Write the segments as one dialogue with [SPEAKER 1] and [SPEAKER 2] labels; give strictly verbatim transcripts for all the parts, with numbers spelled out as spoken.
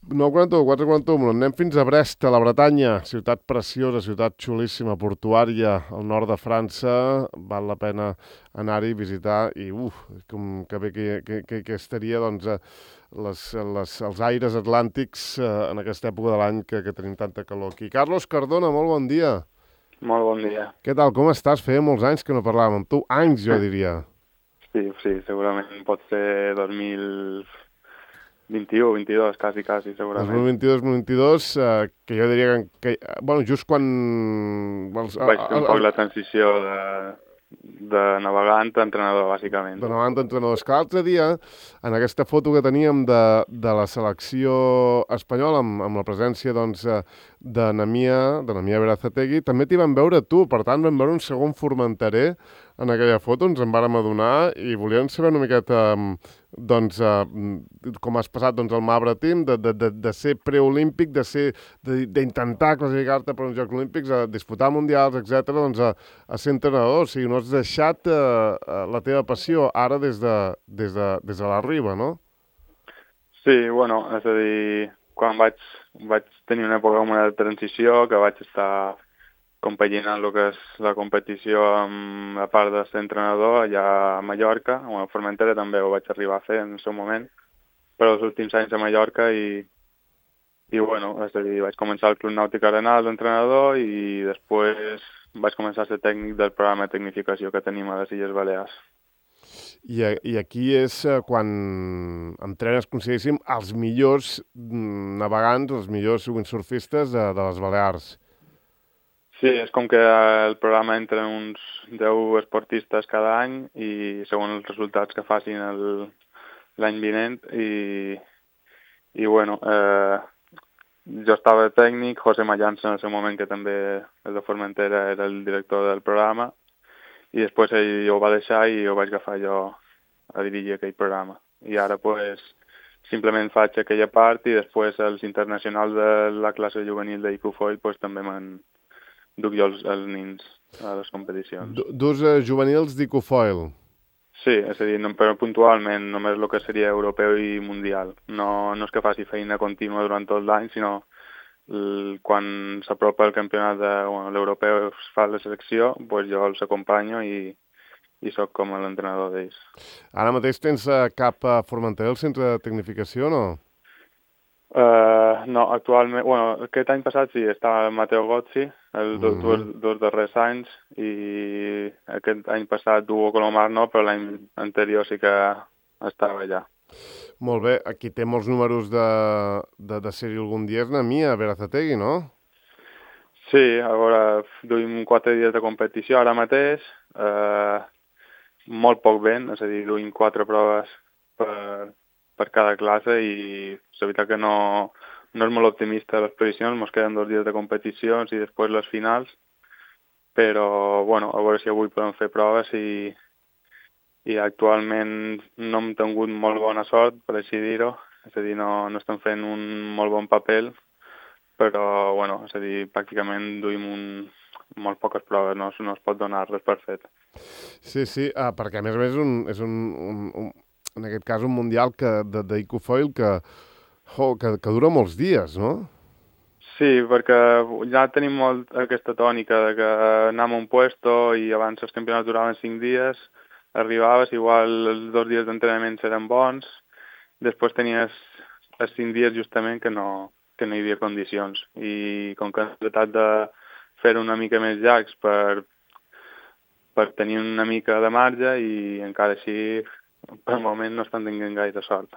[SPEAKER 1] nou quaranta-u, quatre quaranta-u, anem fins a Brest, a la Bretanya, ciutat preciosa, ciutat xulíssima, portuària, al nord de França, val la pena anar-hi, visitar, i uf, com que bé que, que, que, que estaria, doncs, eh, les, les, els aires atlàntics eh, en aquesta època de l'any que, que tenim tanta calor aquí. Carlos Cardona, molt bon dia.
[SPEAKER 2] Molt bon dia.
[SPEAKER 1] Què tal, com estàs? Feia molts anys que no parlàvem amb tu, anys, jo diria.
[SPEAKER 2] Sí, sí, segurament pot ser dos mil vint-i-u, vint-i-dos, quasi, quasi, segurament.
[SPEAKER 1] dos mil vint-i-dos, dos mil vint-i-dos, eh, que jo diria que, que... Bueno, just quan... Els,
[SPEAKER 2] Vaig fer un
[SPEAKER 1] el,
[SPEAKER 2] poc
[SPEAKER 1] el,
[SPEAKER 2] la transició de, de navegant a entrenador, bàsicament.
[SPEAKER 1] de davant d'entrenadors. Que l'altre dia, en aquesta foto que teníem de, de la selecció espanyola, amb, amb la presència doncs, eh, de Namia, de Namia Berazategui, també t'hi van veure tu, per tant vam veure un segon formenterer en aquella foto, ens en vàrem adonar i volíem saber una miqueta doncs, eh, com has passat doncs, el Mabra Team, de, de, de, de ser preolímpic, de ser d'intentar classificar-te per uns Jocs Olímpics, a disputar mundials, etcètera, doncs a, a ser entrenador. O sigui, no has deixat eh, la teva passió ara des de, des de, des de la riba, no?
[SPEAKER 2] Sí, bueno, és a dir, quan vaig, vaig tenir una època com una transició, que vaig estar compaginant el que és la competició amb la part de ser entrenador allà a Mallorca, o a Formentera també ho vaig arribar a fer en el seu moment, però els últims anys a Mallorca i, i bueno, és a dir, vaig començar al Club Nàutic Arenal d'entrenador i després vaig començar a ser tècnic del programa de tecnificació que tenim a les Illes Balears.
[SPEAKER 1] I, I aquí és eh, quan entrenes, consideríssim, els millors mm, navegants, els millors windsurfistes de, de les Balears.
[SPEAKER 2] Sí, és com que el programa entra uns deu esportistes cada any i segons els resultats que facin el- l'any vinent i, i bueno, eh, jo estava de tècnic, José Mallanza en el seu moment, que també és de Formentera, era el director del programa i després ell ho va deixar i ho vaig agafar jo a dirigir aquell programa. I ara pues, simplement faig aquella part i després els internacionals de la classe juvenil d'Icufoil pues, també me'n duc jo els, els nins a les competicions.
[SPEAKER 1] Du- Dus eh, juvenils d'Icofoil.
[SPEAKER 2] Sí, és a dir, no, però puntualment, només el que seria europeu i mundial. No, no és que faci feina contínua durant tot l'any, sinó el, quan s'apropa el campionat de bueno, l'europeu es fa la selecció, doncs jo els acompanyo i, i sóc com l'entrenador d'ells.
[SPEAKER 1] Ara mateix tens eh, cap a Formentera el centre de tecnificació, no?
[SPEAKER 2] Uh, no, actualment, bueno, aquest any passat sí, estava el Matteo Gozzi, els
[SPEAKER 1] Mm
[SPEAKER 2] dos, dos,
[SPEAKER 1] -hmm.
[SPEAKER 2] dos darrers anys, i aquest any passat Hugo Colomar no, però l'any anterior sí que estava allà.
[SPEAKER 1] Molt bé, aquí té molts números de, de, de ser-hi algun dia és Namia Berazategui, no?
[SPEAKER 2] Sí, a veure, duim quatre dies de competició ara mateix, eh, molt poc vent, és a dir, duim quatre proves per, per cada classe i és veritat que no, no és molt optimista les previsions, ens queden dos dies de competicions i després les finals, però bueno, a veure si avui podem fer proves i, i actualment no hem tingut molt bona sort, per així dir-ho, és a dir, no, no estem fent un molt bon paper, però bueno, és a dir, pràcticament duim un, molt poques proves, no, no es pot donar res per fet.
[SPEAKER 1] Sí, sí, ah, perquè a més a més és un, és un, un, un en aquest cas un mundial que, de, d'Icofoil que, jo, que, que dura molts dies, no?
[SPEAKER 2] Sí, perquè ja tenim molt aquesta tònica de que anem a un puesto i abans els campionats duraven cinc dies, arribaves, igual els dos dies d'entrenament eren bons, després tenies els cinc dies justament que no, que no hi havia condicions. I com que hem tratat de fer una mica més llargs per, per tenir una mica de marge i encara així per moment no estan tenint gaire sort.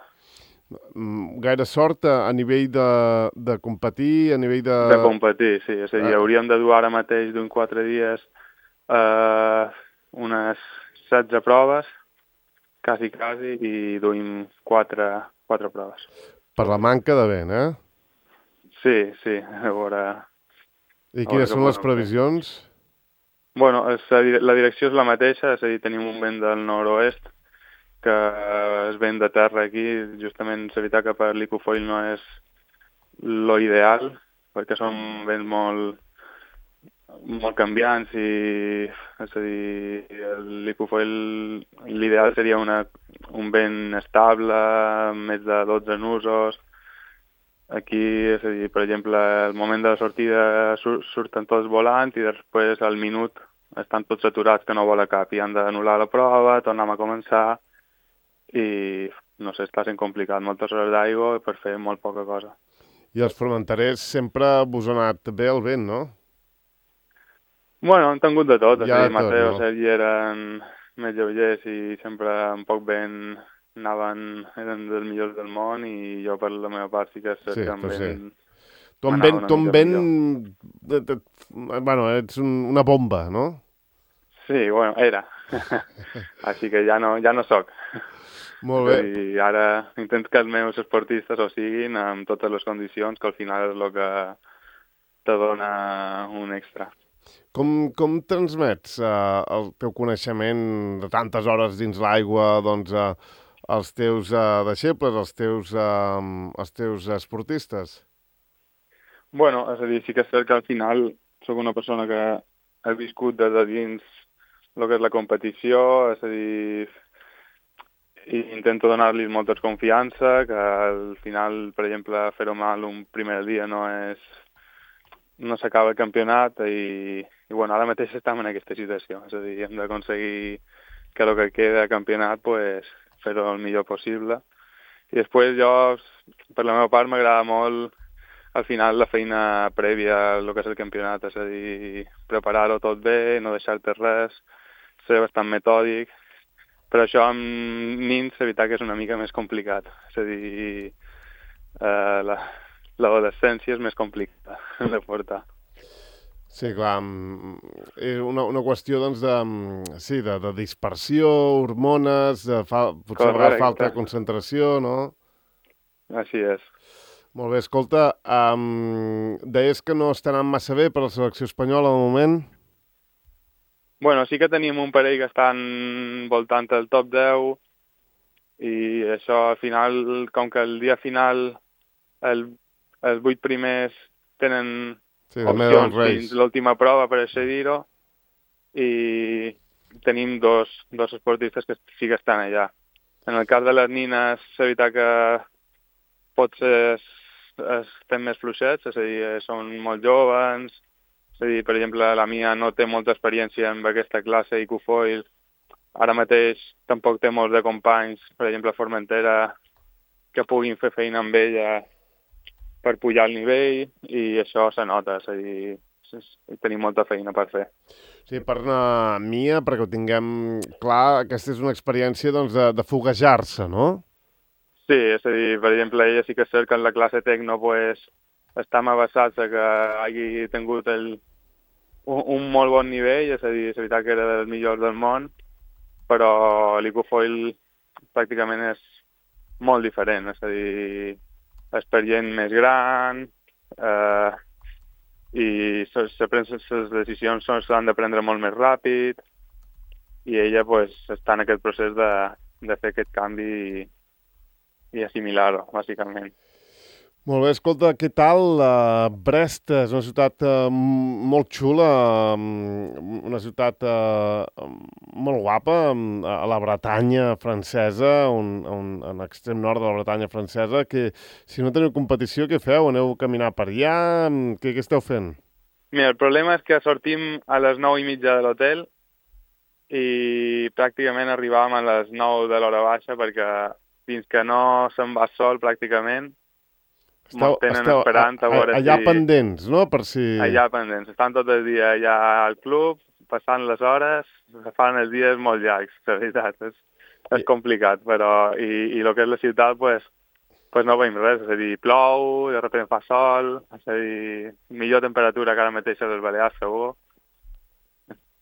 [SPEAKER 1] Mm, Gaire sort a, a nivell de, de competir, a nivell de...
[SPEAKER 2] De competir, sí. És a dir,
[SPEAKER 1] Eh,
[SPEAKER 2] hauríem de dur ara mateix d'un quatre dies eh, unes setze proves, quasi, quasi, i duim quatre, quatre proves.
[SPEAKER 1] per la manca de vent, eh?
[SPEAKER 2] Sí, sí, a veure,
[SPEAKER 1] I
[SPEAKER 2] a veure
[SPEAKER 1] quines
[SPEAKER 2] què
[SPEAKER 1] són les
[SPEAKER 2] podem fer.
[SPEAKER 1] previsions?
[SPEAKER 2] Bueno, és, a dir, la direcció és la mateixa, és a dir, tenim un vent del nord-oest que és vent de terra aquí, justament és veritat que per l'Icufoil no és lo ideal, perquè són vents molt, molt canviants i, és a dir, l'Icufoil l'ideal seria una, un vent estable, més de dotze nusos, Aquí, és a dir, per exemple, al moment de la sortida sur surten tots volant i després al minut estan tots aturats que no vola cap i han d'anul·lar la prova, tornem a començar i, no sé, està sent complicat. Moltes hores d'aigua per fer molt poca cosa.
[SPEAKER 1] I els formenterers sempre vos ha anat bé el vent, no?
[SPEAKER 2] Bueno, han tingut de tot. És
[SPEAKER 1] Ja
[SPEAKER 2] a
[SPEAKER 1] de
[SPEAKER 2] dir,
[SPEAKER 1] tot,
[SPEAKER 2] Mateo,
[SPEAKER 1] no?
[SPEAKER 2] Sergi eren més lleugers i sempre un poc vent anaven, eren dels millors del món i jo per la meva part sí que és cert
[SPEAKER 1] Sí,
[SPEAKER 2] que amb
[SPEAKER 1] però sí.
[SPEAKER 2] vent
[SPEAKER 1] Tu amb
[SPEAKER 2] m'anava
[SPEAKER 1] vent,
[SPEAKER 2] una
[SPEAKER 1] tu amb
[SPEAKER 2] mica
[SPEAKER 1] vent...
[SPEAKER 2] millor.
[SPEAKER 1] et- et- Bueno, ets un, una bomba, no?
[SPEAKER 2] Sí, bueno, era. Així que ja no, ja no soc.
[SPEAKER 1] Molt
[SPEAKER 2] És a
[SPEAKER 1] bé.
[SPEAKER 2] dir, ara intento que els meus esportistes ho siguin amb totes les condicions, que al final és el que te dona un extra.
[SPEAKER 1] Com, com transmets uh, el teu coneixement de tantes hores dins l'aigua doncs, uh, als teus uh, deixebles, als teus, uh, als teus esportistes?
[SPEAKER 2] Bueno, és a dir, sí que és cert que al final sóc una persona que ha viscut des de dins el que és la competició, és a dir, i intento donar-li molta confiança, que al final, per exemple, fer-ho mal un primer dia no és no s'acaba el campionat i, i bueno, ara mateix estem en aquesta situació, és a dir, hem d'aconseguir que el que queda de campionat pues, fer-ho el millor possible. I després jo, per la meva part, m'agrada molt al final la feina prèvia al que és el campionat, és a dir, preparar-ho tot bé, no deixar-te res, ser bastant metòdic. Per això amb nins, la veritat que és una mica més complicat. És a dir, eh, la, l'adolescència és més complicada de portar.
[SPEAKER 1] Sí, clar, mm, és una, una qüestió doncs, de, mm, sí, de, de dispersió, hormones, de fa, potser a vegades falta de
[SPEAKER 2] Correcte,
[SPEAKER 1] concentració, no?
[SPEAKER 2] així és.
[SPEAKER 1] Molt bé, escolta, um, deies que no està anant massa bé per la selecció espanyola al moment?
[SPEAKER 2] Bueno, sí que tenim un parell que estan voltant el top deu i això al final, com que el dia final el, els vuit primers tenen
[SPEAKER 1] Sí, també dels
[SPEAKER 2] opcions
[SPEAKER 1] Reis.
[SPEAKER 2] fins l'última prova per accedir-ho i tenim dos, dos esportistes que sí que estan allà. En el cas de les nines, és veritat que potser es, estem més fluixets, és a dir, són molt joves, és a dir, per exemple, la Mia no té molta experiència en aquesta classe i Icufoil. Ara mateix tampoc té molts de companys, per exemple, a Formentera, que puguin fer feina amb ella per pujar el nivell i això se nota, és a dir, tenim molta feina per fer.
[SPEAKER 1] Sí, per una Mia, perquè ho tinguem clar, aquesta és una experiència doncs, de, de foguejar-se, no?
[SPEAKER 2] Sí, és a dir, per exemple, ella sí que és cert que en la classe tecno pues, està abassats a que hagi tingut el, un, un molt bon nivell, és a dir, és veritat que era dels millors del món, però l'Icufoil pràcticament és molt diferent, és a dir, és per gent més gran eh, i les decisions s'han de prendre molt més ràpid i ella pues, està en aquest procés de, de fer aquest canvi i, i assimilar-ho, bàsicament.
[SPEAKER 1] Molt bé, escolta, què tal? Uh, Brest és una ciutat uh, molt xula, um, una ciutat uh, molt guapa, um, a la Bretanya francesa, un, un, en l'extrem nord de la Bretanya francesa, que si no teniu competició, què feu? Aneu a caminar per allà? Què, què esteu fent?
[SPEAKER 2] Mira, el problema és que sortim a les nou i mitja de l'hotel i pràcticament arribàvem a les nou de l'hora baixa perquè fins que no se'n va sol pràcticament
[SPEAKER 1] Esteu,
[SPEAKER 2] mos tenen
[SPEAKER 1] esteu
[SPEAKER 2] esperant a,
[SPEAKER 1] a,
[SPEAKER 2] veure
[SPEAKER 1] a, allà
[SPEAKER 2] si...
[SPEAKER 1] pendents, no? Per si...
[SPEAKER 2] Allà pendents. Estan tot el dia allà al club, passant les hores, fan els dies molt llargs, la veritat. És, és complicat, però... I, i el que és la ciutat, pues, pues no veiem res. És a dir, plou, de sobte fa sol, és a dir, millor temperatura que ara mateix a les Balears, segur.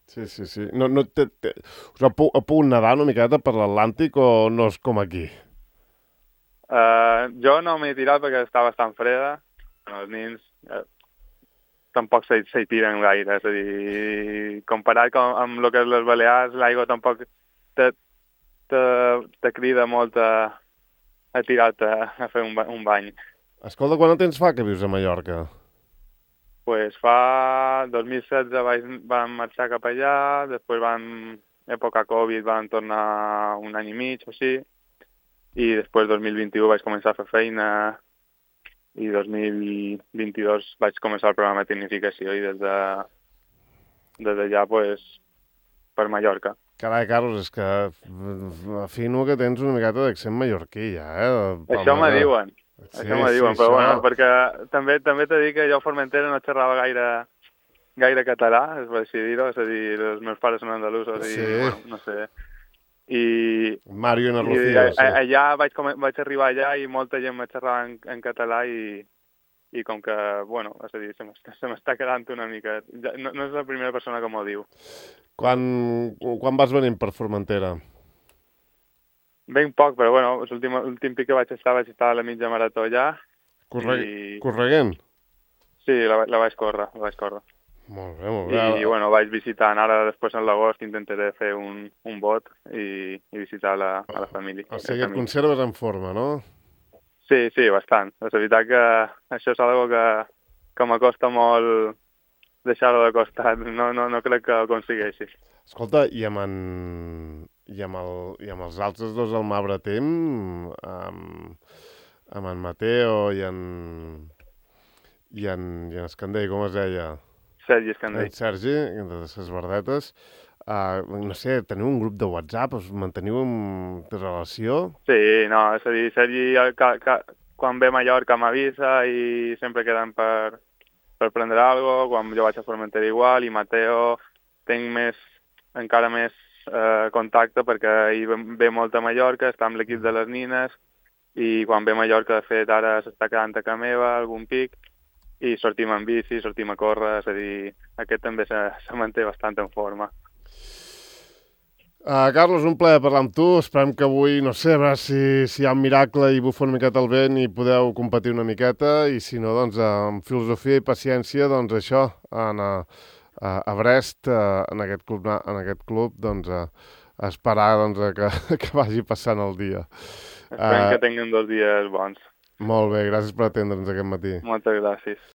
[SPEAKER 1] Sí, sí, sí. No, no te, te... Us ha, ha pogut nedar una miqueta per l'Atlàntic o no és com aquí?
[SPEAKER 2] Uh, jo no m'he tirat perquè està bastant freda. Els nins uh, tampoc s'hi tiren gaire. És a dir, comparat com, amb el que és les Balears, l'aigua tampoc te, te, te crida molt a, a tirar-te a fer un, un bany.
[SPEAKER 1] Escolta, quant de temps fa que vius a Mallorca?
[SPEAKER 2] Pues fa dos mil setze vam marxar cap allà, després vam, època Covid, vam tornar un any i mig o així, i després dos mil vint-i-u vaig començar a fer feina i dos mil vint-i-dos vaig començar el programa de tecnificació i des de des d'allà, pues, per Mallorca.
[SPEAKER 1] Carai, Carlos, és que afino que tens una miqueta d'accent mallorquí, ja, eh?
[SPEAKER 2] Això me diuen,
[SPEAKER 1] Sí,
[SPEAKER 2] això me diuen,
[SPEAKER 1] sí,
[SPEAKER 2] però
[SPEAKER 1] això...
[SPEAKER 2] bueno, perquè també també t'he dit que jo a Formentera no xerrava gaire gaire català, és per així dir-ho, és a dir, els meus pares són andalusos i,
[SPEAKER 1] Sí.
[SPEAKER 2] bueno, no sé. I,
[SPEAKER 1] Mario i na
[SPEAKER 2] i
[SPEAKER 1] Rocío,
[SPEAKER 2] a,
[SPEAKER 1] sí.
[SPEAKER 2] allà vaig, com, vaig arribar allà i molta gent me xerrava en, en català i, i com que, bueno, és a dir, se m'està, se m'està quedant una mica... Ja, no, no és la primera persona que m'ho diu.
[SPEAKER 1] Quan, quan vas venir per Formentera?
[SPEAKER 2] Ben poc, però bueno, l'últim l'últim pic que vaig estar, vaig estar a la mitja marató allà.
[SPEAKER 1] Corre...
[SPEAKER 2] I...
[SPEAKER 1] Correguent?
[SPEAKER 2] Sí, la, la vaig córrer, la vaig córrer.
[SPEAKER 1] Molt bé, molt bé.
[SPEAKER 2] I, bueno, vaig visitant, ara després en l'agost intentaré fer un, un bot i, i visitar la, a la família.
[SPEAKER 1] O sigui, et conserves en forma, no?
[SPEAKER 2] Sí, sí, bastant. És veritat que això és algo que, que m'acosta molt deixar-ho de costat. No, no, no crec que ho aconsegueixi.
[SPEAKER 1] Escolta, i amb en... I amb, el, i amb els altres dos al Mabretem, amb, amb en Mateo i en... i en, i en Escandell, com es deia?
[SPEAKER 2] Sergi Escandell.
[SPEAKER 1] En Sergi, de les Verdetes. Uh, no sé, teniu un grup de WhatsApp? Us manteniu de relació?
[SPEAKER 2] Sí, no, és a dir, Sergi ca, ca, quan ve a Mallorca m'avisa i sempre queden per, per prendre alguna cosa, quan jo vaig a Formentera igual, i Mateo tinc més, encara més eh, contacte perquè ell ve molt a Mallorca, està amb l'equip de les nines, i quan ve a Mallorca, de fet, ara s'està quedant a casa meva, algun pic, i sortim en bici, sortim a córrer, és a dir, aquest també se, se manté bastant en forma.
[SPEAKER 1] Uh, Carlos, un plaer parlar amb tu. Esperem que avui, no sé, a veure si, si hi ha un miracle i bufa una miqueta el vent i podeu competir una miqueta, i si no, doncs, amb filosofia i paciència, doncs això, en, a, a Brest, uh, en aquest club, en aquest club doncs, uh, esperar doncs, que, que vagi passant el dia.
[SPEAKER 2] Esperem
[SPEAKER 1] uh,
[SPEAKER 2] que tinguin dos dies bons.
[SPEAKER 1] Molt bé, gràcies per atendre'ns aquest matí.
[SPEAKER 2] Moltes gràcies.